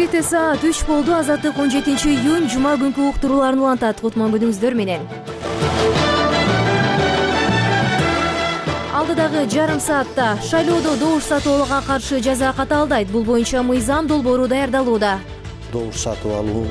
Бишкекте саат 3 болду. Азаттык 17-июнь жума күнкү уктурууларын улантат. Кутман күнүңүздөр менен. Алдыдагы жарым саатта шайлоодо добуш сатып каршы жаза катаалдайт. Бул боюнча мыйзам долбоору даярдалууда. Добуш сатып алуу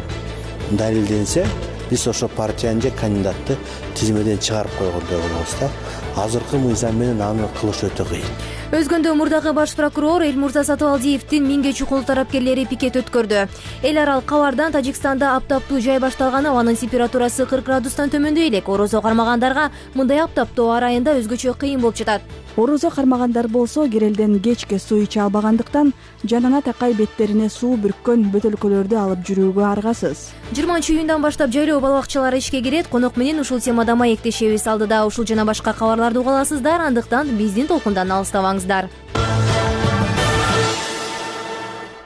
далилденсе, биз ошо партияны же кандидатты тизмеден чыгарып койгондой болобуз да. Азыркы мыйзам менен аны кылыш өтө кыйын. Өзгөндө мурдагы баш прокурор Элмурза Сатыбалдиевдин 1000 чукул тарапкерлери пикет өткөрдү. Эл аралык кабардан Тажикстанда аптаптуу жай башталган, абанын температурасы 40 градустан төмөндөй элек. Орозо кармагандарга мындай аптаптоо ар айында өзгөчө кыйын болуп жатат. Орозо кармагандар болсо кирелден кечке суу иче албагандыктан жанына такай беттерине суу бүрккөн бөтөлкөлөрдү алып жүрүүгө аргасыз. 20-июндан баштап жайлоо балабакчалары ишке кирет. Конок менен ушул темада маектешебиз. Алдыда ушул жана башка кабарларды уга аласыздар, андыктан биздин толкундан алыстабаңыздар.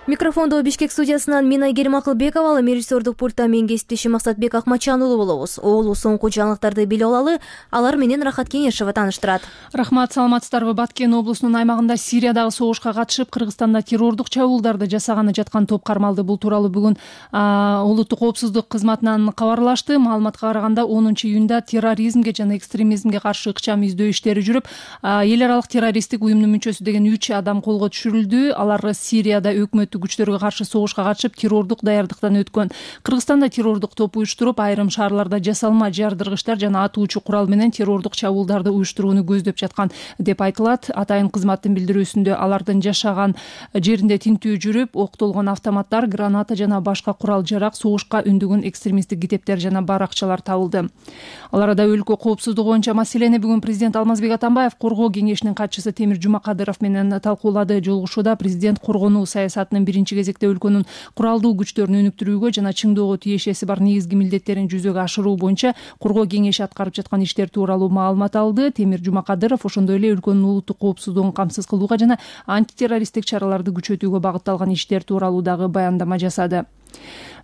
Микрофондо Бишкек студиясынан мен Айгерим Акылбекова, ал режиссердук пультта мен кесиптешим Максатбек Акматжан уулу болобуз. Оолу соңку жаңылыктарды билип алалы, алар менен Рахат Кеңешева тааныштырат. Рахмат, саламатсыздарбы? Баткен облусунун аймагында Сириядагы согушка катышып, Кыргызстанда террордук чабуулдарды жасаганы жаткан топ кармалды. Бул тууралуу бүгүн улуттук коопсуздук кызматынан кабарлашты. Маалыматка караганда 10-июнда терроризмге жана экстремизмге каршы ыкчам издөө иштери жүрүп, эл аралык террористтик уюмдун мүчөсү деген 3 адам колго түшүрүлдү. Алар Сирияда өкмөт күчтөргө каршы согушка катышып, террордук даярдыктан өткөн. Кыргызстанда террордук топ уюштуруп, айрым шаарларда жасалма жардыргычтар жана атуучу курал менен террордук чабуулдарды уюштурууну көздөп жаткан деп айтылат. Атайын кызматтын билдирүүсүндө алардын жашаган жеринде тинтүү жүрүп, октолгон автоматтар, граната жана башка курал жарак, согушка үндүгүн экстремисттик китептер жана баракчалар табылды. Ал арада өлкө коопсуздугу боюнча маселени бүгүн президент Алмазбек Атамбаев Коргоо кеңешинин катчысы Темир Жумакадыров менен талкуулады. Жолугушууда президент коргонуу саясатынын биринчи кезекте өлкөнүн куралдуу күчтөрүн өнүктүрүүгө жана чыңдоого тиешеси бар негизги милдеттерин жүзөгө ашыруу боюнча Коргоо кеңеши аткарып жаткан иштер тууралуу маалымат алды. Темир Жумакадыров ошондой эле өлкөнүн улуттук коопсуздугун камсыз кылууга жана антитеррористтик чараларды күчөтүүгө багытталган иштер тууралуу дагы баяндама жасады.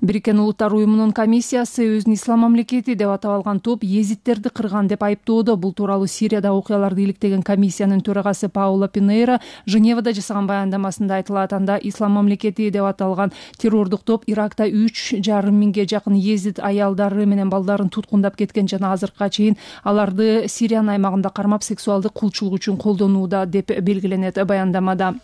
Бириккен Улуттар уюмунун комиссиясы өзүн ислам мамлекети деп атап алган топ езиттерди кырган деп айыптоодо. Бул тууралуу Сирияда окуяларды иликтеген комиссиянын төрагасы Паула Пинейра Женевада жасаган баяндамасында айтылат. Анда ислам мамлекети деп аталган террордук топ Иракта 3,5 миңге жакын езит аялдары менен балдарын туткундап кеткен жана азыркыга чейин аларды Сириянын аймагында кармап сексуалдык кулчулук үчүн колдонууда деп белгиленет баяндамада.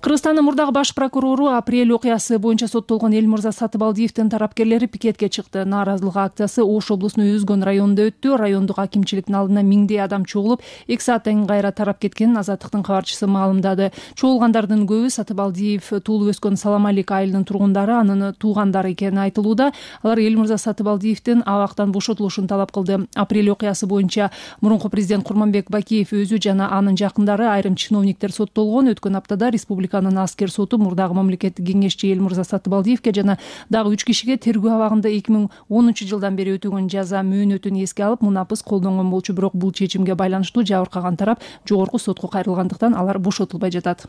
Кыргызстандын мурдагы баш прокурору апрель окуясы боюнча соттолгон Элмурза Сатыбалдиевдин тарапкерлери пикетке чыкты. Нааразылык акциясы Ош облусунун Өзгөн районунда өттү. Райондук акимчиликтин алдына миңдей адам чогулуп, 2 сааттан кайра тарап кеткенин Азаттыктын кабарчысы маалымдады. Чогулгандардын көбү Сатыбалдиев туулуп өскөн Саламалик айылынын тургундары, анын туугандары экени айтылууда. Алар Элмурза Сатыбалдиевдин абактан бошотулушун талап кылды. Апрель окуясы боюнча мурунку президент Курманбек Бакиев өзү жана анын жакындары, айрым чиновниктер соттолгон. Өткөн аптада республика аскер соту мурдагы мамлекеттик кеңешчи Элмурза Сатыбалдиевге жана дагы 3 кишиге тергөө абагында 2010 жылдан бери өтөгөн жаза мөөнөтүн эске алып мунапыс колдонгон болчу. Бирок бул чечимге байланыштуу жабыркаган тарап жогорку сотко кайрылгандыктан алар бошотулбай жатат.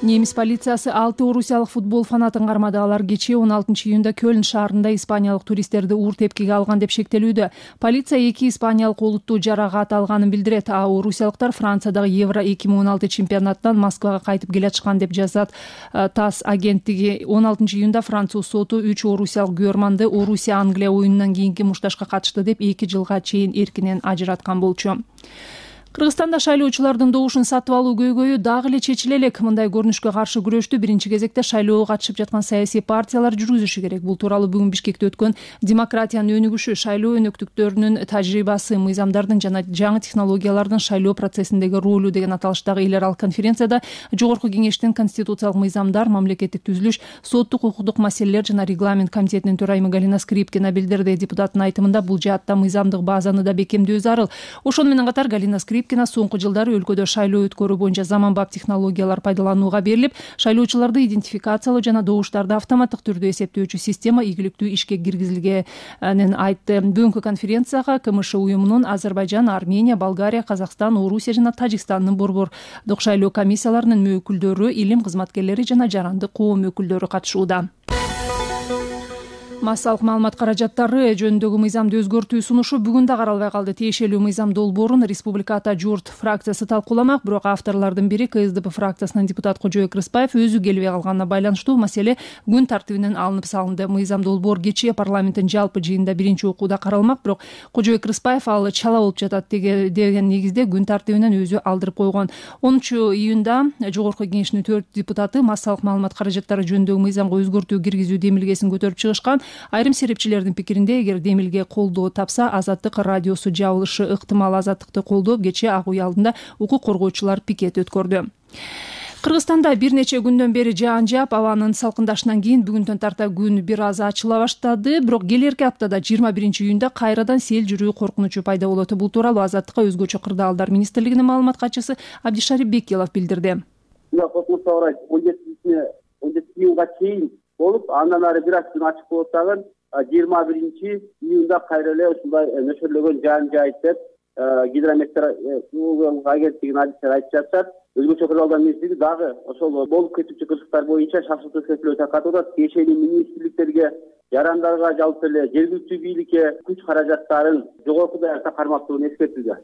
Немис полициясы 6 орусиялык футбол фанатын кармады. Алар кечээ 16-июнда Кöln шаарында испаниялык туристтерди уур тепкиге алган деп шектелүүдө. Полиция 2 испаниялык олуттуу жаракат алганын билдирет. Орусиялыктар Франциядагы Евро 2016 чемпионаттан Москвага кайтып келе жатышкан деп жазат ТАСС агенттиги. 16-июнда Француз соту 3 орусиялык күйөрманды Орусия-Англия оюнунан кийинки мушташка катышты деп 2 жылга чейин эркинен ажыраткан болчу. Кыргызстанда шайлоочулардын добушун сатып алуу көйгөйү дагы эле чечиле элек. Мындай көрүнүшкө каршы күрөштү биринчи кезекте шайлоого катышып жаткан саясий партиялар жүргүзүшү керек. Бул тууралуу бүгүн Бишкекте өткөн демократиянын өнүгүшү, шайлоо өнөктүктөрүнүн тажрыйбасы, мыйзамдардын жана жаңы технологиялардын шайлоо процессиндеги ролу деген аталыштагы эл аралык конференцияда Жогорку кеңештин конституциялык мыйзамдар, мамлекеттик түзүлүш, соттук укуктук маселелер жана регламент комитетинин төрайымы Галина Скрипкина билдирди. Депутаттын айтымында бул жаатта мыйзамдык базаны да бекемдөө зарыл. Ошону менен катар Галина Скрипкина соңку жылдары өлкөдө шайлоо өткөрүү боюнча заманбап технологиялар пайдаланууга берилип, шайлоочуларды идентификациялоо жана добуштарды автоматтык түрдө эсептөөчү система ийгиликтүү ишке киргизилгенин айтты. Бүгүнкү конференцияга КМШ уюмунун Азербайжан, Армения, Болгария, Казакстан, Орусия жана Тажикстандын борбордук шайлоо комиссияларынын өкүлдөрү, илим кызматкерлери жана жарандык коом өкүлдөрү катышууда. Массалык маалымат каражаттары жөнүндөгү мыйзамды өзгөртүү сунушу бүгүн да каралбай калды. Тиешелүү мыйзам долбоорун Республика Ата Журт фракциясы талкууламак, бирок авторлордун бири КСДП фракциясынын депутат Кожоек Рыспаев өзү келбей калганына байланыштуу маселе күн тартибинен алынып салынды. Мыйзам долбоор кечээ парламенттин жалпы жыйынында биринчи окууда каралмак, бирок Кожоек Рыспаев ал чала болуп жатат деген негизде күн тартибинен өзү алдырып койгон. 10-июнда Жогорку Кеңештин 4 депутаты массалык маалымат каражаттары жөнүндөгү мыйзамга өзгөртүү киргизүү демилгесин көтөрүп чыгышкан. Айрым серепчилердин пикиринде, эгер демилге колдоо тапса, Азаттык радиосу жабылышы ыктымал. Азаттыкты колдоп кечээ Ак үй алдында укук коргоочулар пикет өткөрдү. Кыргызстанда бир нече күндөн бери жаан жаап, абанын салкындашынан кийин бүгүндөн тарта күн бир аз ачыла баштады. Бирок келерки аптада 21-июнда кайрадан сел жүрүү коркунучу пайда болот. Бул тууралуу Азаттыкка өзгөчө кырдаалдар министрлигинин маалымат катчысы Абдишарип Бекилов билдирди. 17-июнга чейин болуп, андан ары бир аз күн ачык болот дагы 21-июнда кайра эле ушундай нөшөрлөгөн жаан жаайт деп гидрометеорологиялык агенттигинин адистери айтып жатышат. Өзгөчө кырдаалдар министрлиги дагы ошол болуп кетүүчү кырсыктар боюнча шарттуу чектөө таркатып атат. Тиешелүү министрликтерге, жарандарга, жалпы эле жергиликтүү бийликке күч каражаттарын жогорку даярда кармактууну эскертүүдө.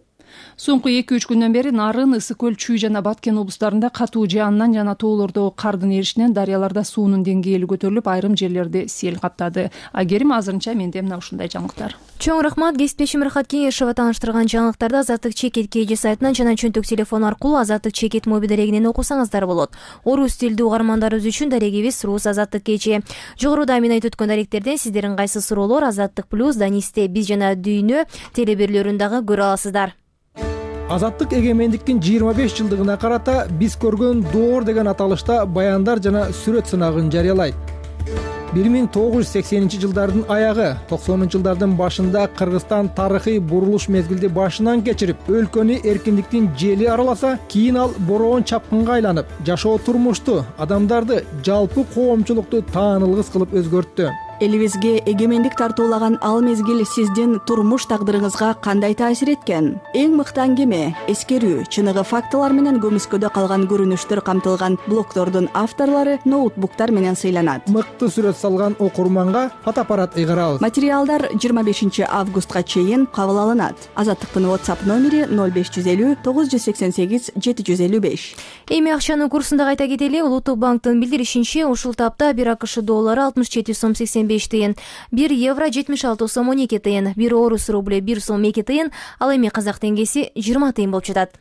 Соңку 2-3 күндөн бери Нарын, Ысык көл, Чүй жана Баткен облустарында катуу жаандан жана тоолордогу кардын эришинен дарыяларда суунун деңгээли көтөрүлүп, айрым жерлерди сел каптады. Агерим азырынча менде мына ушундай жаңылыктар. Чоң рахмат. Кесиптешим Рахат Кеңешова тааныштырган жаңылыктарды Азаттык чекит KG сайтынан жана чөнтөк телефон аркылуу Азаттык чекит моби дарегинен окусаңыздар болот. Орус тилдүү угармандарыбыз үчүн дарегибиз Рус Азаттык KG. Жогоруда мен айтып өткөн даректерден сиздердин кайсы суроолор Азаттык плюс, Данисте биз жана дүйнө телебирлөрүн дагы көрө аласыздар. Азаттык эгемендиктин 25 жылдыгына карата биз көргөн доор деген аталышта баяндар жана сүрөт сынагын жарыялайт. 1980 жылдардын аягы, 90 жылдардын башында Кыргызстан тарыхый бурулуш мезгилди башынан кечирип, өлкөнү эркиндиктин жели араласа, кийин ал бороон чапкынга айланып, жашоо турмушту, адамдарды, жалпы коомчулукту таанылгыс кылып өзгөрттү. Элибизге эгемендик тартуулаган ал мезгил сиздин турмуш тагдырыңызга кандай таасир эткен? Эң мыкты аңгеме, эскерүү, чыныгы фактылар менен көмүскөдө калган көрүнүштөр камтылган блогдордун авторлору ноутбуктар менен сыйланат. Мыкты сүрөт салган окурманга фотоаппарат ыйгарабыз. Материалдар 25 августка чейин кабыл алынат. Азаттыктын WhatsApp номери 0550 988 755. Эми акчанын курсунда кайта кетели. Улуттук банктын билдиришинче, ушул тапта 1 АКШ доллары 67 сом 85 тыйын, 1 евро 76 сом 12 тыйын, 1 орус рубль 1 сом 2 тыйын, ал эми казак теңгеси 20 тыйын болуп жатат.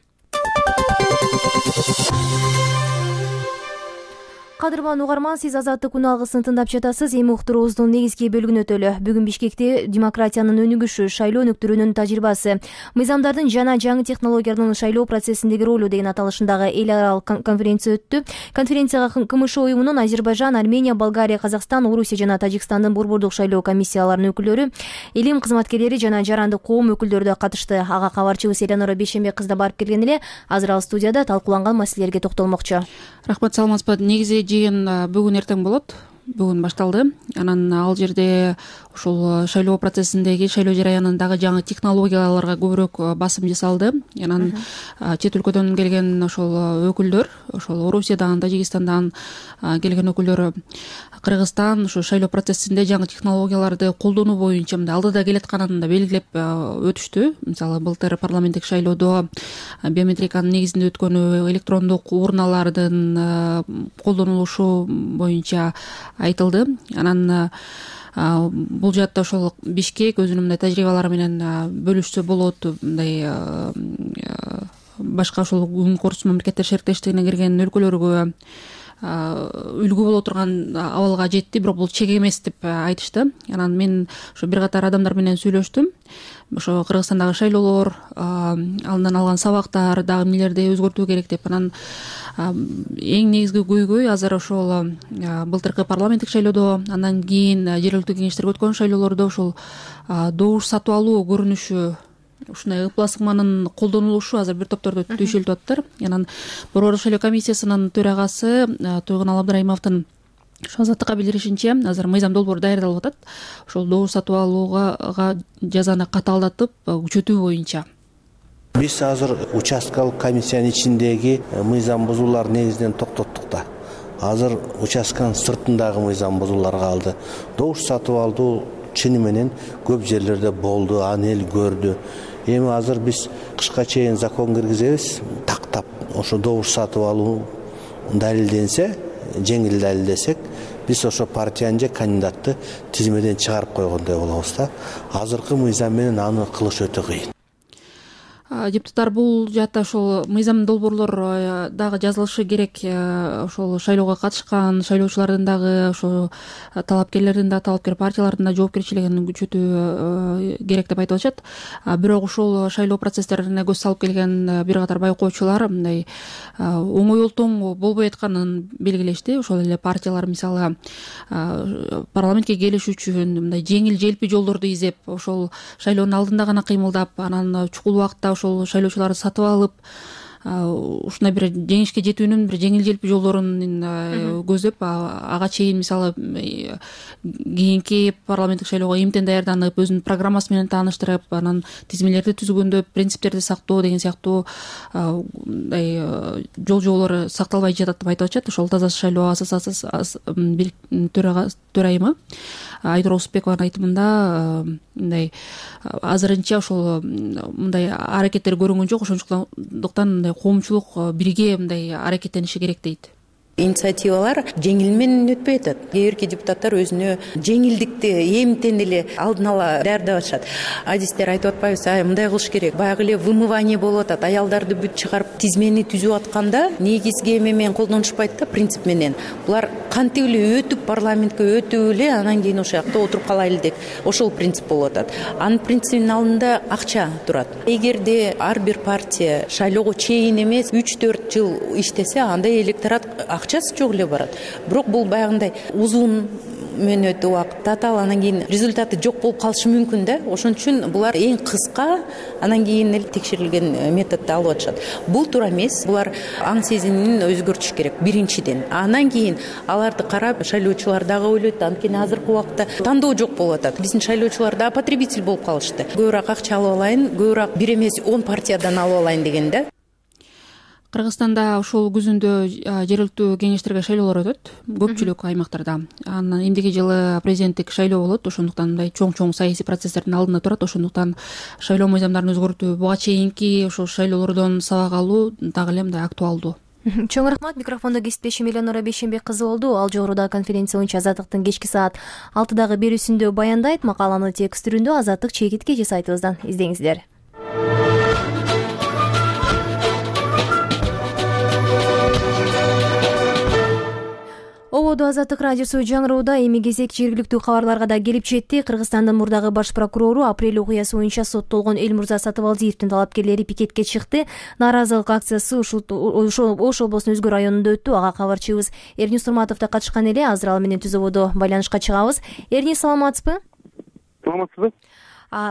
Кадырман угарман, сиз Азаттык күн алгысын тыңдап жатасыз. Эми уктуруубуздун негизги бөлүгүнө өтөлү. Бүгүн Бишкекте демократиянын өнүгүшү, шайлоо өнүктүрүүнүн тажрыйбасы, мыйзамдардын жана жаңы технологиялардын шайлоо процессиндеги ролу деген аталышындагы эл аралык конференция өттү. Конференцияга КМШ уюмунун Азербайжан, Армения, Болгария, Казакстан, Орусия жана Тажикстандын борбордук шайлоо комиссияларынын өкүлдөрү, элим кызматкерлери жана жарандык коом өкүлдөрү да катышты. Ага кабарчыбыз Эленора Бейшембек кызда барып келген эле. Азыр ал студияда талкууланган маселелерге токтолмокчу. Рахмат, саламатсызбы. Негизи жыйын бүгүн эртең болот. Бүгүн башталды. Анан ал жерде ушул шайлоо процессиндеги, шайлоо жараянындагы жаңы технологияларга көбүрөөк басым жасалды. Анан чет өлкөдөн келген ошол өкүлдөр, ошол Орусиядан, Тажикстандан келген өкүлдөр Кыргызстан ошо шайлоо процессинде жаңы технологияларды колдонуу боюнча мындай алдыда келатканын да белгилеп өтүштү. Мисалы, былтыр парламенттик шайлоодо биометриканын негизинде өткөнү, электрондук урналардын колдонулушу боюнча айтылды. Анан бул жаатта ошол Бишкек өзүнүн мындай тажрыйбалары менен бөлүшсө болот. Мындай башка ошол күн корус мамлекеттер шериктештигине кирген өлкөлөргө үлгү боло турган абалга жетти, бирок бул чек эмес деп айтышты. Анан мен ошо бир катар адамдар менен сүйлөштүм. Ошо Кыргызстандагы шайлоолор, андан алган сабактар дагы эмнелерди өзгөртүү керек деп. Анан эң негизги көйгөй азыр ошол былтыркы парламенттик шайлоодо, андан кийин жергиликтүү кеңештерге өткөн шайлоолордо ошол добуш сатып алуу көрүнүшү, ушундай ыплас ыкманын колдонулушу азыр бир топтордо түйшөлтүп атыптыр. Анан борбордук шайлоо комиссиясынын төрагасы Тойгон Абдрайымовдун ошо Азаттыкка билдиришинче, азыр мыйзам долбоору даярдалып атат. Ошол добуш сатып алууга жазаны катаалдатып күчөтүү боюнча. Биз азыр участкалык комиссиянын ичиндеги мыйзам бузуулар негизинен токтоттук да. азыр участканын сыртындагы мыйзам бузуулар калды. Добуш сатып алуу чыны менен көп жерлерде болду, аны эл көрдү. Эми азыр биз кышка чейин закон киргизебиз, тактап ошо добуш сатып алуу далилденсе, жеңил далилдесек, биз ошо партияны же кандидатты тизмеден чыгарып койгондой болобуз да. Азыркы мыйзам менен аны кылыш өтө кыйын. Депутаттар бул жаатта ошол мыйзам долбоорлор дагы жазылышы керек. Ошол шайлоого катышкан шайлоочулардын дагы, ошо талапкерлердин да, талапкер партиялардын да жоопкерчилигин күчөтүү керек деп айтып атышат. Бирок ошол шайлоо процесстерине көз салып келген бир катар байкоочулар мындай оңой олтоң болбой атканын белгилешти. Ошол эле партиялар мисалы парламентке келиш үчүн мындай жеңил желпи жолдорду издеп, ошол шайлоонун алдында гана кыймылдап, анан чукул убакытта ошол шайлоочуларды сатып алып, ушундай бир жеңишке жетүүнүн бир жеңил желпи жолдорун көздөп, ага чейин мисалы кийинки парламенттик шайлоого эмтен даярданып, өзүнүн программасы менен тааныштырып, анан тизмелерди түзгөндө принциптерди сактоо деген сыяктуу мындай жол сакталбай жатат деп айтып атышат. Ошол Таза шайлоо ассоциациясынын төрайымы Айдор Осупбекованын айтымында мындай азырынча ошол мындай аракеттер көрүнгөн жок, ошондуктан мындай коомчулук бирге мындай аракеттениши керек дейт. Инициативалар жеңил менен өтпөй атат. Кээ бирки депутаттар өзүнө жеңилдикти эмтен эле алдын ала даярдап атышат. Адистер айтып атпайбыз, мындай кылыш керек. Баягы эле вымывание болуп атат. Аялдарды бүт чыгарып тизмени түзүп атканда негизги эме менен колдонушпайт да, принцип менен. Булар кантип эле өтүп парламентке өтүп эле анан кийин ошол жакта отуруп калайлы деп ошол принцип болуп атат. Анын принцибинин алдында акча турат. Эгерде ар бир партия шайлоого чейин эмес 3-4 жыл иштесе, анда электорат акчасы жок эле барат. Бирок бул баягындай узун мөөнөттүү убакыт, татаал, анан кийин результаты жок болуп калышы мүмкүн да. Ошон үчүн булар эң кыска, анан кийин эле текшерилген методду алып атышат. Бул туура эмес. Булар аң сезимин өзгөртүш керек биринчиден. Анан кийин аларды карап шайлоочулар дагы ойлойт, анткени азыркы убакта тандоо жок болуп атат. Биздин шайлоочулар да потребитель болуп калышты. Көбүрөөк акча алып алайын, көбүрөөк бир эмес 10 партиядан алып алайын деген да. Кыргызстанда ушул күзүндө жергиликтүү кеңештерге шайлоолор өтөт, көпчүлүк аймактарда. Анан эмдиги жылы президенттик шайлоо болот, ошондуктан мындай чоң саясий процесстердин алдында турат. Ошондуктан шайлоо мыйзамдарын өзгөртүү буга чейинки ошол шайлоолордон сабак алуу дагы эле мындай актуалдуу. Чоң рахмат. Микрофондо кесиптешим Эленора Бейшенбек кызы болду. Ал жогоруда конференция боюнча Азаттыктын кечки саат 6-дагы берүүсүндө баяндайт. Макаланы текст түрүндө Азаттык чекитке же сайтыбыздан издеңиздер. Ободо Азаттык радиосу жаңырууда. Эми кезек жергиликтүү кабарларга да келип жетти. Кыргызстандын мурдагы баш прокурору апрель окуясы боюнча соттолгон Элмурза Сатыбалдиевдин талапкерлери пикетке чыкты. Нааразылык акциясы Ош облусунун Үзгү районунда өттү. Ага кабарчыбыз Эрнис Турматов да катышкан эле. Азыр ал менен түз ободо байланышка чыгабыз. Эрнис, саламатсызбы? Саламатсызбы.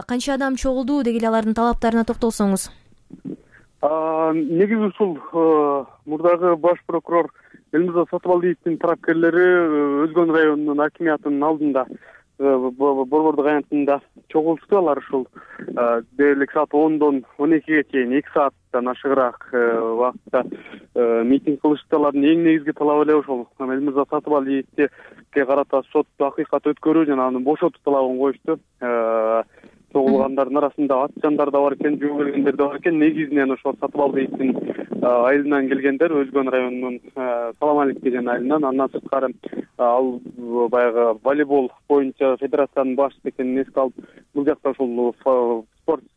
Канча адам чогулду, деги эле алардын талаптарына токтолсоңуз. Негизи ушул мурдагы баш прокурор Элмурза Сатыбалдиевдин тарапкерлери Өзгөн районунун акимиятынын алдында борбордук аянтында чогулушту. Алар ушул дээрлик саат 10дон 12ге чейин 2 сааттан ашыгыраак убакытта митинг кылышты. Алардын эң негизги талабы эле ошол Элмурза Сатыбалдиевге карата сотту акыйкат өткөрүү жана аны бошотуу талабын коюшту. Чогулгандардын арасында ат жандар да бар экен, жөө келгендер да бар экен. Негизинен ошол Сатыбалдиевдин айылынан келгендер, Өзгөн районунун Салам Алик деген айылынан. Андан сырткары ал баягы волейбол боюнча федерациянын башчысы экенин эске алып, бул жакта ошол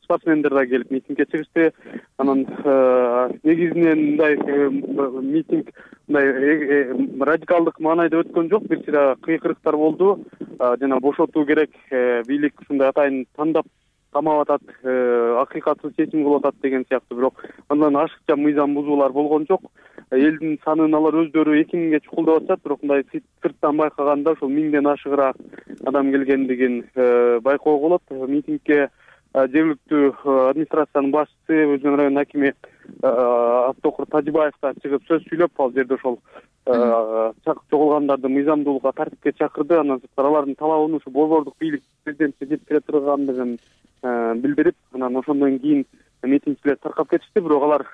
спортсмендер да келип митингге чыгышты. Анан негизинен мындай митинг мындай радикалдык маанайда өткөн жок, бир сыйра кыйкырыктар болду. Жана бошотуу керек, бийлик ушундай атайын тандап камап атат, акыйкатсыз чечим кылып атат деген сыяктуу. Бирок андан ашыкча мыйзам бузуулар болгон жок. Элдин санын алар өздөрү 2000ге чукулдап атышат, бирок мындай сырттан байкаганда ошол 1000ден ашыгыраак адам келгендигин байкоого болот. Митингге жергиликтүү администрациянын башчысы, Өзгөн районунун акими Автокур Тажибаев да чыгып сөз сүйлөп, ал жерде ошол чогулгандарды мыйзамдуулукка, тартипке чакырды. Андан сырткары алардын талабын ушу борбордук бийлик президентке жеткире тургандыгын билдирип, анан ошондон кийин митингчилер таркап кетишти. Бирок алар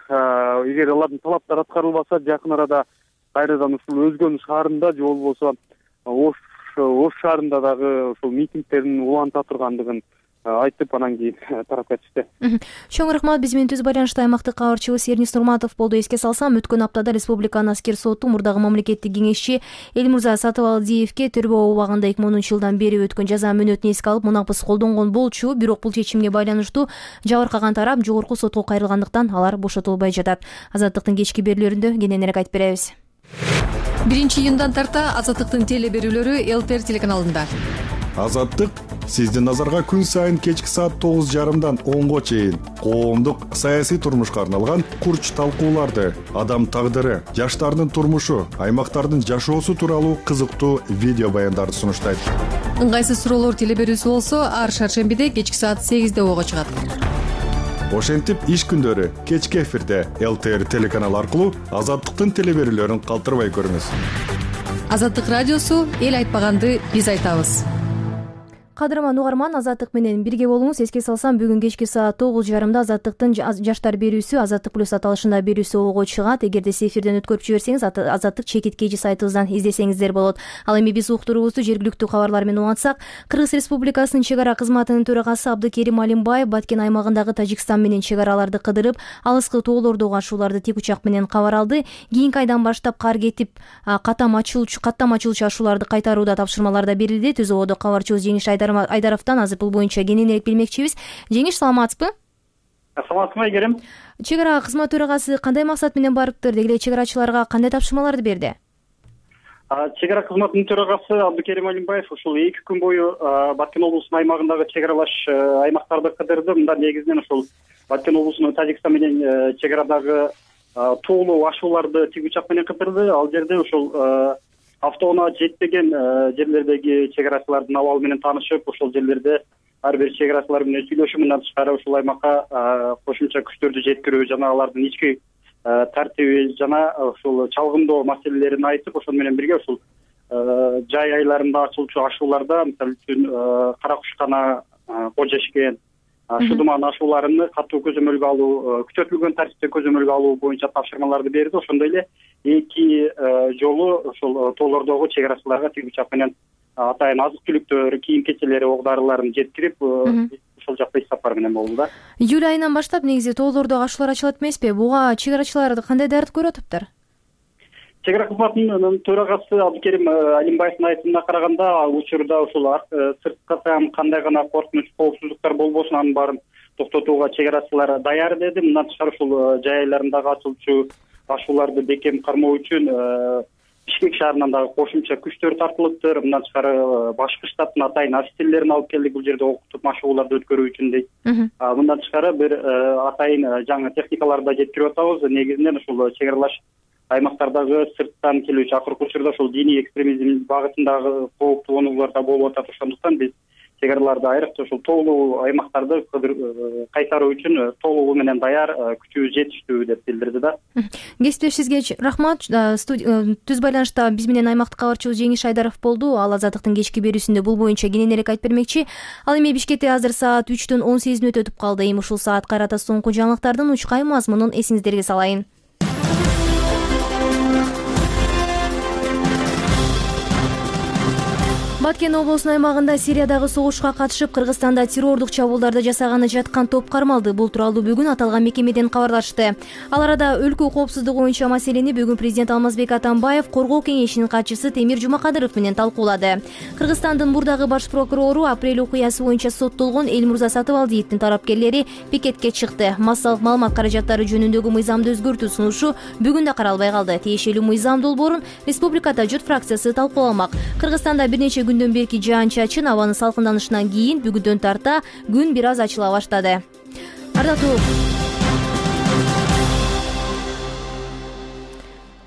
эгер алардын талаптары аткарылбаса, жакын арада кайрадан ушул Өзгөн шаарында же болбосо Ош шаарында дагы ушул митингдердин уланта тургандыгын айтып, анан кийин тарапка чыкты. Чоң рахмат. Биз менен түз байланышта аймактык кабарчыбыз Эрнис Нурматов болду. Эске салсам, өткөн аптада Республиканын аскер соту мурдагы мамлекеттик кеңешчи Элмурза Сатыбалдиевке төрбөө убагында 2010 жылдан бери өткөн жаза мөөнөтүн эске алып, мунапыс колдонгон болчу. Бирок бул чечимге байланыштуу жабыркаган тарап жогорку сотко кайрылгандыктан алар бошотулбай жатат. Азаттыктын кечки берүүлөрүндө кененирээк айтып беребиз. 1-июндан тарта Азаттыктын теле берүүлөрү ЛТР телеканалында. Азаттык сиздин назарга күн сайын кечки саат 9:30 10-го чейин коомдук саясий турмушка арналган курч талкууларды, адам тагдыры, жаштардын турмушу, аймактардын жашоосу тууралуу кызыктуу видео баяндарды сунуштайт. Ыңгайсыз суроолор теле берүүсү болсо, ар шаршембиде кечки саат 8-де ого чыгат. Ошентип иш күндөрү кечки эфирде ЛТР телеканалы аркылуу Азаттыктын теле берүүлөрүн калтырбай көрүңүз. Азаттык радиосу эл айтпаганды биз айтабыз. Кадырман угарман, Азаттык менен бирге болуңуз. Эске салсам, бүгүн кечки саат 9:30 Азаттыктын жаштар берүүсү Азаттык плюс аталышында берүүсү ого чыгат. Эгерде сиз эфирден өткөрүп жиберсеңиз, Азаттык чекиткейжи сайтыбыздан издесеңиздер болот. Ал эми биз уктуруубузду жергиликтүү кабарлар менен улантсак, Кыргыз Республикасынын чек ара кызматынын төрагасы Абдыкерим Алимбаев Баткен аймагындагы Тажикстан менен чек араларды кыдырып, алыскы тоолордогу ашууларды тик учак менен кабар алды. Кийинки айдан баштап кар кетип, каттам ачылчу ашууларды кайтарууда тапшырмалар да берилди. Түз ободо кабарчыбыз Жеңиш Айдаровдон азыр бул боюнча кененирээк билмекчибиз. Жеңиш, саламатсызбы? Саламатсызбы, Айгерим. Чек ара кызмат төрагасы кандай максат менен барыптыр? Деги эле чек арачыларга кандай тапшырмаларды берди? Чек ара кызматынын төрагасы Абдыкерим Алимбаев ушул 2 күн бою Баткен облусунун аймагындагы чек аралаш аймактарды кыдырды. Мында негизинен ушул Баткен облусунун Тажикстан менен чек арадагы тоолуу ашууларды тик учак менен кыдырды. Ал жерде ушул автоунаа жетпеген жерлердеги чек арачылардын абалы менен таанышып, ошол жерлерде ар бир чек арачылар менен сүйлөшүп, мындан тышкары ушул аймакка кошумча күчтөрдү жеткирүү жана алардын ички тартиби жана ушул чалгындоо маселелерин айтып, ошол менен бирге ушул жай айларында ачылчу ашууларда, мисалы үчүн кара кушкана, кожешкен, шудуман ашууларын катуу көзөмөлгө алуу, күчөтүлгөн тартипте көзөмөлгө алуу боюнча тапшырмаларды берди. Ошондой эле 2 жолу ушул тоолордогу чек арачыларга тик учак менен атайын азык-түлүктөр, кийим-кечелери, ок-дарыларын жеткирип, ошол жакта иш сапар менен болду да. Июль айынан баштап негизи тоолордогу ашуулар ачылат эмеспи? Буга чек арачылар кандай даярдык көрүп атыптыр? Чек ара кызматынын төрагасы Абдыкерим Алимбаевдин айтымына караганда, учурда ушул сырткы кандай гана коркунуч, коопсуздуктар болбосун, анын баарын токтотууга чек арачылар даяр деди. Мындан тышкары ушул жай айларындагы ачылчу ашууларды бекем кармоо үчүн Бишкек шаарынан дагы кошумча күчтөр тартылыптыр. Мындан тышкары башкы штаттын атайын офицерлерин алып келдик бул жерде окутуп ашууларды өткөрүү үчүн дейт. Мындан тышкары бир атайын жаңы техникаларды да жеткирип атабыз. Негизинен ушул чек аралаш аймактардагы сырттан келүүчү акыркы учурда ушул диний экстремизм багытындагы кооптуу онуулар да болуп атат. Ошондуктан биз чек араларды айрыкча ушул тоолуу аймактарды кайтаруу үчүн тоолугу менен даяр, күчүбүз жетиштүү деп билдирди да. Кесиптешибизге рахмат. Түз байланышта биз менен аймактык кабарчыбыз Жеңиш Айдаров болду. Ал Азаттыктын кечки берүүсүндө бул боюнча кененирээк айтып бермекчи. Ал эми Бишкекте азыр саат 3:18 өтүп калды. Эми ушул саат кайрата соңку жаңылыктардын учкай мазмунун эсиңиздерге салайын. Баткен облусунун аймагында Сириядагы согушка катышып, Кыргызстанда террордук чабуулдарды жасаганы жаткан топ кармалды. Бул тууралуу бүгүн аталган мекемеден кабарлашты. Ал арада өлкө коопсуздугу боюнча маселени бүгүн президент Алмазбек Атамбаев Коргоо кеңешинин катчысы Темир Жумакадыров менен талкуулады. Кыргызстандын мурдагы баш прокурору апрель окуясы боюнча соттолгон Элмурза Сатыбалдиевдин тарапкерлери пикетке чыкты. Массалык маалымат каражаттары жөнүндөгү мыйзамды өзгөртүү сунушу бүгүн да каралбай калды. Тиешелүү мыйзам долбоорун Республикада жұрт фракциясы талкууламак. Кыргызстанда бир нече күндөн берки жаан-чачын абанын салкынданышынан кийин бүгүндөн тарта күн бир аз ачыла баштады. Ардактуу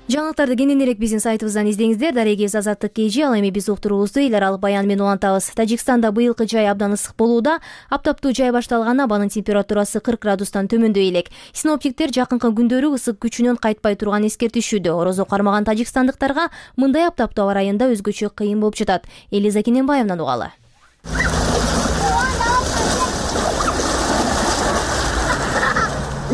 жаңылыктарды кененирээк биздин сайтыбыздан издеңиздер. Дарегибиз Азаттык KG. Ал эми биз уктуруубузду эл аралык баян менен улантабыз. Тажикстанда быйылкы жай абдан ысык болууда. Аптаптуу жай башталган, абанын температурасы 40 градустан төмөндөй элек. Синоптиктер жакынкы күндөрү ысык күчүнөн кайтпай турган эскертишүүдө. Орозо кармаган тажикстандыктарга мындай аптаптуу аба райында өзгөчө кыйын болуп жатат. Элиза Кененбаевнан угалы.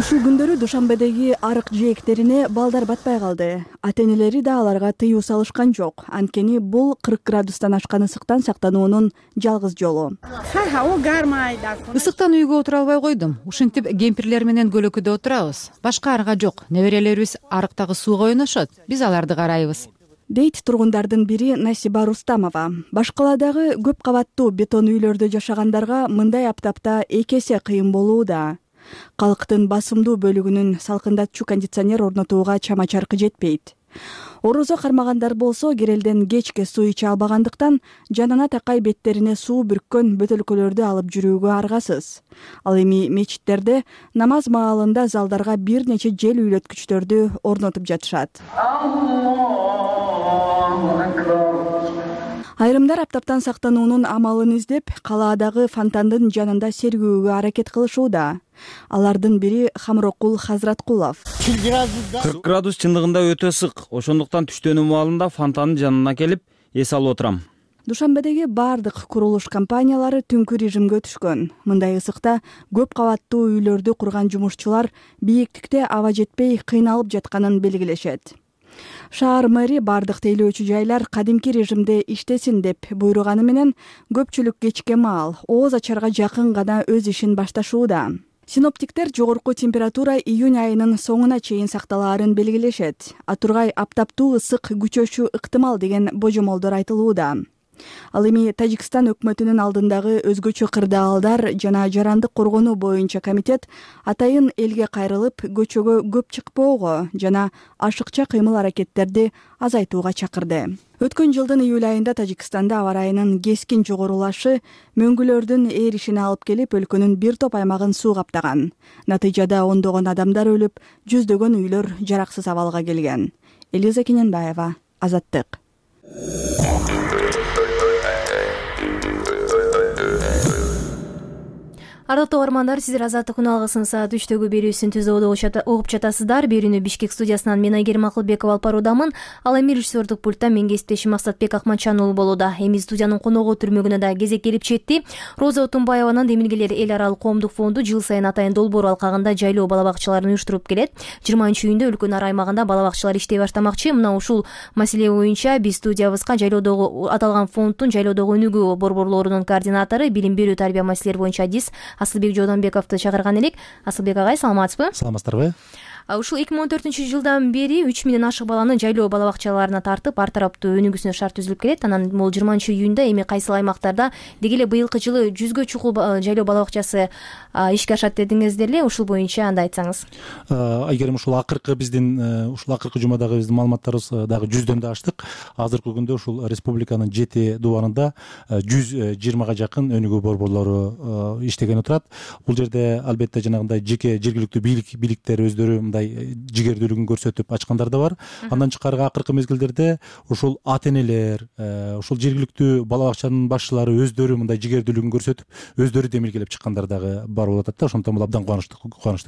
Ушул күндөрү Душанбедеги арык жээктерине балдар батпай калды. Ата-энелери да аларга тыюу салышкан жок. Анткени бул 40 градустан ашкан ысыктан сактануунун жалгыз жолу. Ысыктан үйгө отура албай койдум. Ушинтип кемпирлер менен көлөкөдө отурабыз. Башка арга жок. Неберелерибиз арыктагы сууга ойношот. Биз аларды карайбыз, дейт тургундардын бири Насиба Рустамова. Башкаладагы көп кабаттуу бетон үйлөрдө жашагандарга мындай аптапта эки эсе кыйын болууда. Калктын басымдуу бөлүгүнүн салкындатчу кондиционер орнотууга чама-чаркы жетпейт. Орозо кармагандар болсо керелден кечке суу иче албагандыктан жанына такай беттерине суу бүрккөн бөтөлкөлөрдү алып жүрүүгө аргасыз. Ал эми мечиттерде намаз маалында залдарга бир нече жел үйлөткүчтөрдү орнотуп жатышат. Айрымдар аптаптан сактануунун амалын издеп, калаадагы фонтандын жанында сергүүгө аракет кылышууда. Алардын бири Хамрокул Хазраткулов. 40 градус чындыгында өтө ысык. Ошондуктан түштөнүү маалында фонтандын жанына келип эс алып отурам. Душанбедеги бардык курулуш компаниялары түнкү режимге өтүшкөн. Мындай ысыкта көп кабаттуу үйлөрдү курган жумушчулар бийиктикте аба жетпей кыйналып жатканын белгилешет. Шаар мэри бардык тейлөөчү жайлар кадимки режимде иштесин деп буйруганы менен көпчүлүк кечке маал ооз ачарга жакын гана өз ишин башташууда. Синоптиктер жогорку температура июнь айынын соңуна чейин сакталаарын белгилешет. Атургай аптаптуу ысык күчөшү ыктымал деген божомолдор айтылууда. Ал эми Тажикстан өкмөтүнүн алдындагы өзгөчө кырдаалдар жана жарандык коргонуу боюнча комитет атайын элге кайрылып, көчөгө көп чыкпоого жана ашыкча кыймыл аракеттерди азайтууга чакырды. Өткөн жылдын июль айында Тажикстанда аба ырайынын кескин жогорулашы мөңгүлөрдүн ээришине алып келип, өлкөнүн бир топ аймагын суу каптаган. Натыйжада ондогон адамдар өлүп, жүздөгөн үйлөр жараксыз абалга келген. Элиза Кененбаева, Азаттык. Ардактуу угармандар, сиздер Азаттык күн алгысын саат 3-төгү берүүсүн түзүүдө угуп жатасыздар. Берүүнү Бишкек студиясынан мен Айгерим Акылбекова алып баруудамын. Ал эми режиссердук пульттан мен кесиптешим Максатбек Акманчан уулу болууда. Эми студиянын коногу түрмөгүнө да кезек келип жетти. Роза Отунбаеванын Демилгелер эл аралык коомдук фонду жыл сайын Атайын Долбоор алкагында жайлоо бала бакчаларын уюштуруп келет. 20-июнда өлкөнүн ар аймагында бала бакчалар иштей баштамакчы. Мына ушул маселе боюнча биз студиябызга жайлоодогу аталган фонддун жайлоодогу өнүгүү борборлорунун координатору, билим берүү тарбия маселелери боюнча адис Асылбек Жодонбековду чакырган элек. Асылбек агай, саламатсызбы? Саламатсыздарбы? Ушул 2014-жылдан бери 3000 ашык баланы жайлоо бала бакчаларына тартып, ар тараптуу өнүгүүсүнө шарт түзүлүп келет. Анан бул 20-июнда эми кайсыл аймактарда деги эле быйылкы жылы 100гө чукул жайлоо бала бакчасы ишке ашат дедиңиздер эле. Ушул боюнча анда айтсаңыз. Айгерим, ушул акыркы жумадагы биздин маалыматтарыбыз дагы 100дөн да аштык. Азыркы күндө ушул республиканын 7 дубарында 120га жакын өнүгүү борборлору иштеген отурат. Бул жерде албетте жанагындай жеке жергиликтүү бийликтер өздөрү жигердүүлүгүн көрсөтүп ачкандар да бар. Андан тышкары акыркы мезгилдерде ушул ата-энелер, ушул жергиликтүү бала бакчанын башчылары өздөрү мындай жигердүүлүгүн көрсөтүп өздөрү демилгелеп чыккандар дагы бар болуп атат да. Ошондон бул абдан кубанычтуу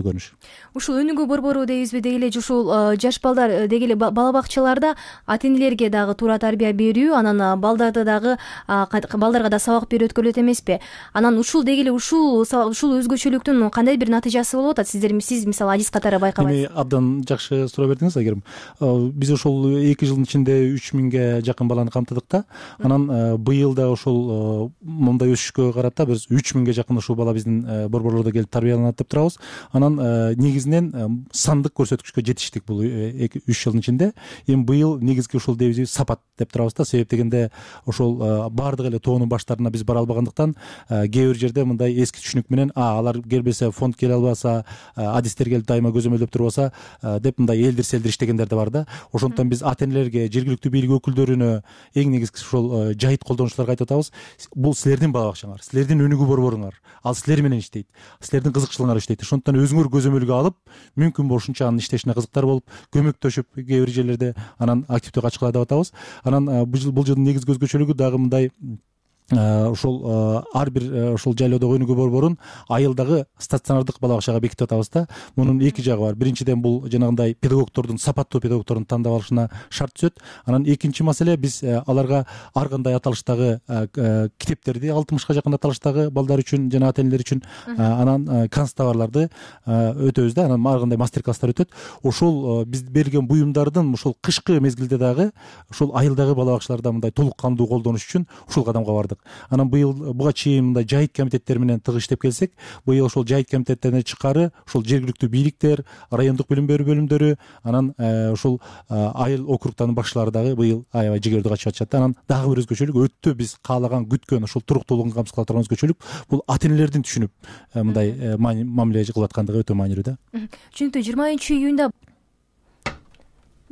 көрүнүш. Ушул өнүгүү борбору дейбизби, деги эле ушул жаш балдар, деги эле бала бакчаларда ата-энелерге дагы туура тарбия берүү, анан балдарга да сабак берүү өткөрүлөт эмеспи? Анан ушул деги эле ушул өзгөчөлүктүн кандай бир натыйжасы болуп атат? Сиз мисалы адис катары байкабайсыз. Абдан жакшы суроо бердиңиз, Айгерим. Биз ошол 2 жылдын ичинде 3000ге жакын баланы камтыдык да. Анан быйыл да ошол мындай өсүшкө карата биз 3000ге жакын ушул бала биздин борборлордо келип тарбияланат деп турабыз. Анан негизинен сандык көрсөткүчкө жетиштик бул 2-3 жылдын ичинде. Эми быйыл негизги ушул дебиз сапат деп турабыз да. Себеп дегенде ошол бардык эле тоонун баштарына биз бара албагандыктан кээ бир жерде мындай эски түшүнүк менен алар келбесе, фонд келе албаса, адистер келип дайыма көзөмөлдөп турбаса деп мындай элдир-селдир иштегендер да бар да. Ошондуктан биз ата-энелерге, жергиликтүү бийлик өкүлдөрүнө эң негизгиси ушул жайыт колдонуучуларга айтып атабыз. Бул силердин бала бакчаңар, силердин өнүгүү борборуңар. Ал силер менен иштейт. Силердин кызыкчылыгыңар иштейт. Ошондуктан өзүңөр көзөмөлгө алып, мүмкүн болушунча анын иштешине кызыктар болуп, көмөктөшүп кээ бир жерлерде анан активдүү катышкыла деп атабыз. Анан бул жылдын негизги өзгөчөлүгү дагы мындай ушул ар бир ушул жайлоодогу өнүгүү борборун айылдагы стационардык бала бакчага бекитип атабыз да. Мунун эки жагы бар. Биринчиден бул жанагындай педагогдордун, сапаттуу педагогдордун тандап алышына шарт түзөт. Анан экинчи маселе, биз аларга ар кандай аталыштагы китептерди, 60га жакын аталыштагы балдар үчүн жана ата энелер үчүн анан канцтоварларды өтөбүз да. Анан ар кандай мастер класстар өтөт. Ошол биз берген буюмдардын ушул кышкы мезгилде дагы ушул айылдагы бала бакчаларда мындай толук кандуу колдонуш үчүн ушул кадамга бардык. Анан быйыл буга чейин мындай жайыт комитеттери менен тыгыз иштеп келсек, быйыл ошол жайыт комитеттерине тышкары ушул жергиликтүү бийликтер, райондук билим берүү бөлүмдөрү, анан ушул айыл округтардын башчылары дагы быйыл аябай жигердүү катышып атышат. Анан дагы бир өзгөчөлүк, өтө биз каалаган, күткөн ушул туруктуулугун камсыз кыла турган өзгөчөлүк бул ата энелердин түшүнүп мындай мамиле кылып аткандыгы өтө маанилүү да. Түшүнүктүү.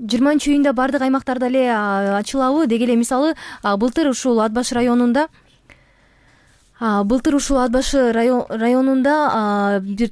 20-июнда баардык аймактарда эле ачылабы? Деги эле мисалы былтыр ушул Ат башы районунда бир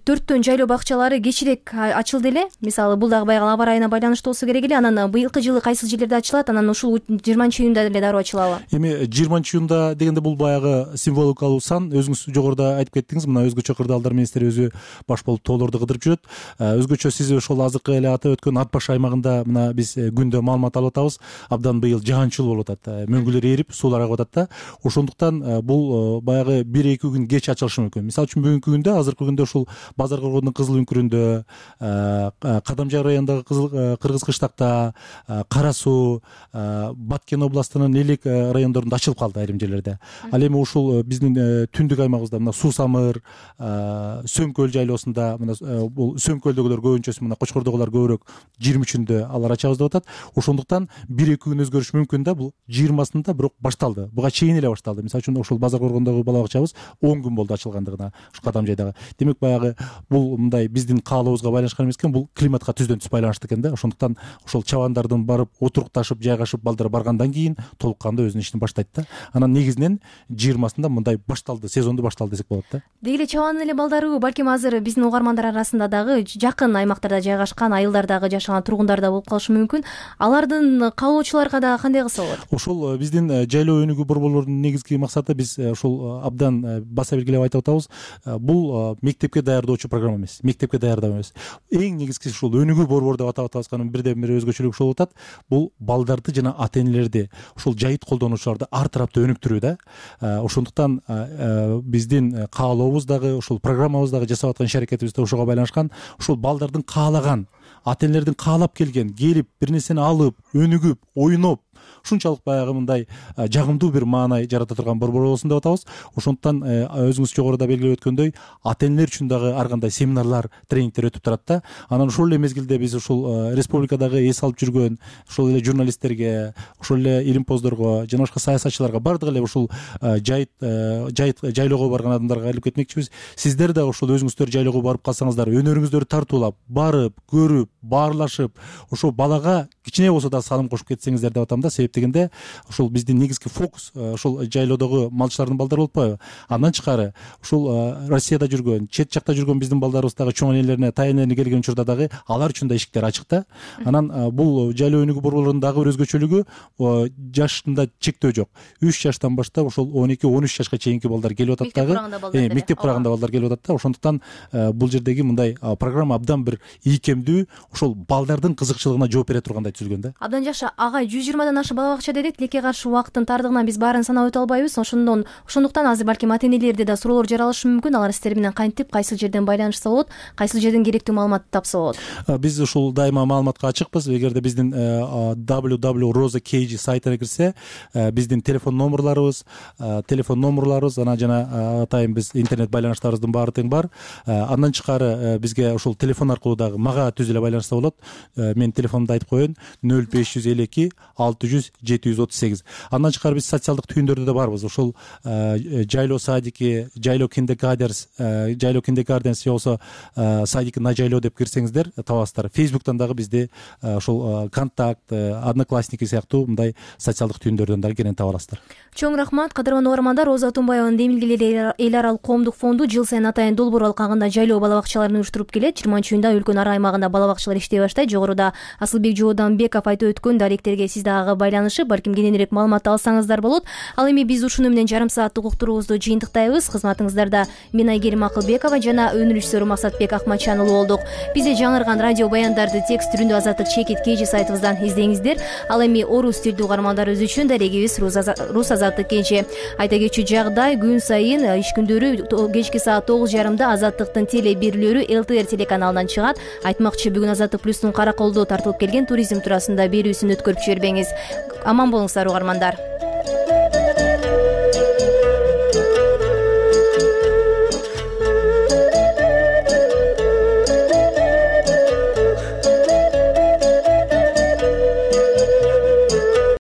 4төн жайлоо бакчалары кечирээк ачылды эле. Мисалы бул дагы баягы аба ырайына байланыштуу болсо керек эле. Анан быйылкы жылы кайсы жерлерде ачылат? Анан ушул 20-июнда эле дароо ачылабы? Эми 20-июнда дегенде бул баягы символикалуу сан. Өзүңүз жогоруда айтып кеттиңиз, мына өзгөчө кырдаалдар министри өзү баш болуп тоолорду кыдырып жүрөт. Өзгөчө сиз ошол азыркы эле атап өткөн Ат башы аймагында мына биз күндө маалымат алып атабыз. Абдан быйыл жаанчыл болуп атат. Мөңгүлөр эрип, суулар агып атат да. Ошондуктан бул баягы 1-2 күн кеч ачылышы мүмкүн. Мисалы үчүн бүгүнкү күндө, азыркы күндө ушул Базар Коргондун Кызыл үңкүрүндө, Кадамжай районундагы Кыргыз Кыштакта, Кара Суу, Баткен областынын элек райондорунда ачылып калды айрым жерлерде. Ал эми ушул биздин түндүк аймагыбызда мына Суу Самыр, Сөмкөл жайлоосунда, мына бул Сөмкөлдөгүлөр көбүнчөсү, мына Кочкордогулар көбүрөөк 23-үндө алар ачабыз деп атат. Ошондуктан 1-2 күн өзгөрүш мүмкүн да. Бул 20-сында бирок башталды. Буга чейин эле башталды. Мисалы үчүн ушул Базар Коргондогу бала бакчабыз 10 күн болду ачылгандыгына, ушу Кадамжайдагы. Демек баягы бул мындай биздин каалообузга байланышкан эмес экен, бул климатка түздөн түз байланыштуу экен да. Ошондуктан ошол чабандардын барып отурукташып, жайгашып, балдар баргандан кийин толук кандуу өзүнүн ишин баштайт да. Анан негизинен 20-сында мындай башталды, сезонду башталды десек болот да. Деги эле чабандын эле балдары балким азыр биздин угармандар арасында дагы жакын аймактарда жайгашкан, айылдардагы жашаган тургундар да болуп калышы мүмкүн. Алардын каалоочуларга дагы кандай кылса болот? Ошол биздин жайлоо өнүгүү борборлорунун негизги максаты, биз ошол абдан баса белгилеп айтып атабыз, бул мектепке даярдоочу программа эмес, мектепке даярдоо эмес. Эң негизгиси ушул өнүгүү борбору деп атап атабызганын бирден бир өзгөчөлүгү ошол болуп атат. Бул балдарды жана ата энелерди, ушул жайыт колдонуучуларды ар тараптуу өнүктүрүү да. Ошондуктан биздин каалообуз дагы, ушул программабыз дагы, жасап аткан иш аракетибиз да ошого байланышкан. Ушул балдардын каалаган, ата энелердин каалап келген, келип бир нерсени алып, өнүгүп, ойноп, ушунчалык баягы мындай жагымдуу бир маанай жарата турган борбор болсун деп атабыз. Ошондуктан өзүңүз жогоруда белгилеп өткөндөй, ата энелер үчүн дагы ар кандай семинарлар, тренингдер өтүп турат да. Анан ошол эле мезгилде биз ушул республикадагы эс алып жүргөн ошол эле журналисттерге, ошол эле илимпоздорго жана башка саясатчыларга, бардык эле ушул жайлоого барган адамдарга айтып кетмекчибиз. Сиздер да ошол өзүңүздөр жайлоого барып калсаңыздар, өнөрүңүздөрдү тартуулап, барып, көрүп, баарлашып, ошол балага кичине болсо да салым кошуп кетсеңиздер деп атам да. Себеп дегенде ушул биздин негизги фокус ушул жайлоодогу малчылардын балдары болуппайбы? Андан тышкары ушул Россияда жүргөн, чет жакта жүргөн биздин балдарыбыз дагы чоң энелерине, тай энелерине келген учурда дагы алар үчүн да эшиктер ачык да. Анан бул жайлоо өнүгүү борборлорунун дагы бир өзгөчөлүгү, жашында чектөө жок. 3 жаштан баштап ошол 12-13 жашка чейинки балдар келип атат дагы. Мектеп кураганда балдар келип атат да. Ошондуктан бул жердеги мындай программа абдан бир ийкемдүү, ошол балдардын кызыкчылыгына жооп бере тургандай түзүлгөн да. Абдан жакшы. Ага, 120 ашык бала бакча дедик. Тилекке каршы убакыттын тардыгынан биз баарын санап өтө албайбыз. Ошондуктан азыр балким ата энелерде да суроолор жаралышы мүмкүн. Алар сиздер менен кантип, кайсыл жерден байланышса болот, кайсыл жерден керектүү маалыматты тапса болот? Биз ушул дайыма маалыматка ачыкпыз. Эгерде биздин www.rosa.kg сайтына кирсе, биздин телефон номерлорубуз, анан жана атайын биз интернет байланыштарыбыздын баары тең бар. Андан тышкары бизге ушул телефон аркылуу дагы мага түз эле байланышса болот. Менин телефонумду айтып коеюн: 0552 600 738. Андан тышкары биз социалдык түйүндөрдө да барбыз. Ошол жайлоо садики, жайлоо киндергарденс же болсо садики на жайлоо деп кирсеңиздер табасыздар. Фейсбуктан дагы бизди ошол контакт, одноклассники сыяктуу мындай социалдык түйүндөрдөн дагы кенен таба аласыздар. Чоң рахмат, кадырман угармандар. Роза Тумбаеванын Демилгелер эл аралык коомдук фонду жыл сайын атайын долбоор алкагында жайлоо бала бакчаларын уюштуруп келет. 20-июнда өлкөнүн ар аймагында бала бакчалар иштей баштайт. Жогоруда Асылбек Жооданбеков айтып өткөн даректерге сиз дагы байланып байланышып балким кененирээк маалымат алсаңыздар болот. Ал эми биз ушуну менен жарым сааттык уктуруубузду жыйынтыктайбыз. Кызматыңыздарда мен Айгерим Акылбекова жана өнүн режиссеру Максатбек Акматчан уулу болдук. Бизде жаңырган радио баяндарды текст түрүндө Азаттык чекит KG сайтыбыздан издеңиздер. Ал эми орус тилдүү угармандарыбыз үчүн дарегибиз Рус Азаттык KG. Айта кетчү жагдай, күн сайын иш күндөрү кечки саат 9:30 Азаттыктын теле берүүлөрү ЛТР телеканалынан чыгат. Айтмакчы, бүгүн Азаттык плюстун Караколдо тартылып келген туризм туурасында берүүсүн өткөрүп жибербеңиз. Аман болуңуздар угармандар.